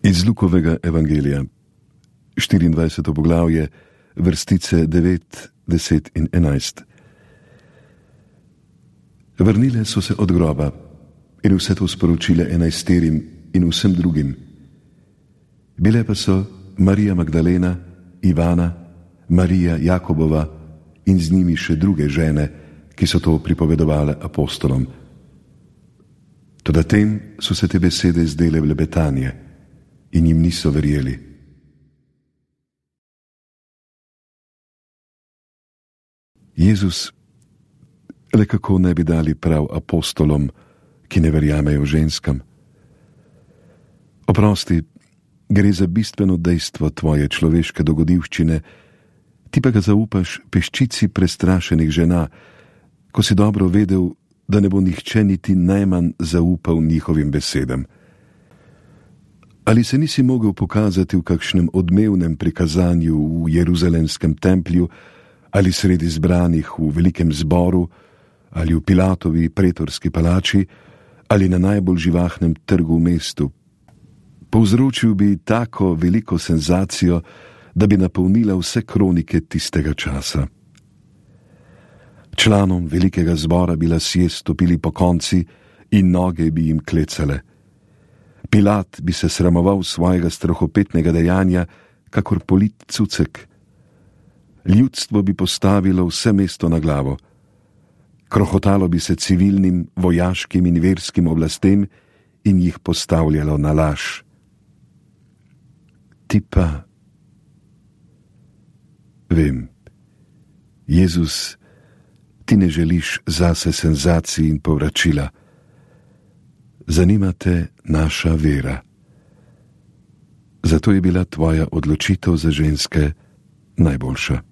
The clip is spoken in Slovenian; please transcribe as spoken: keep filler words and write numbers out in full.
Iz Lukovega evangelija, štiriindvajseto poglavje, vrstice devet, deset in enajst. Vrnile so se od groba in vse to sporočile enajsterim in vsem drugim. Bile pa so Marija Magdalena, Ivana, Marija Jakobova in z njimi še druge žene, ki so to pripovedovale apostolom. Toda tem so se te besede zdele blebetanje in jim niso verjeli. Jezus, le kako ne bi dali prav apostolom, ki ne verjamejo ženskam? Oprosti, gre za bistveno dejstvo tvoje človeške dogodivščine, ti pa ga zaupaš peščici prestrašenih žena, ko si dobro vedel, da ne bo nihče niti najmanj zaupal njihovim besedam. Ali se nisi mogel pokazati v kakšnem odmevnem prikazanju v jeruzalemskem templju, ali sredi zbranih v velikem zboru, ali v Pilatovi pretorski palači, ali na najbolj živahnem trgu v mestu? Povzročil bi tako veliko senzacijo, da bi napolnila vse kronike tistega časa. Članom velikega zbora bi lasje stopili po konci in noge bi jim klecale. Pilat bi se sramoval svojega strahopetnega dejanja, kakor polit cucek. Ljudstvo bi postavilo vse mesto na glavo. Krohotalo bi se civilnim, vojaškim in verskim oblastem in jih postavljalo na laž. Ti pa... Vem, Jezus, ti ne želiš zase senzacij in povračila. Zanima te naša vera. Zato je bila tvoja odločitev za ženske najboljša.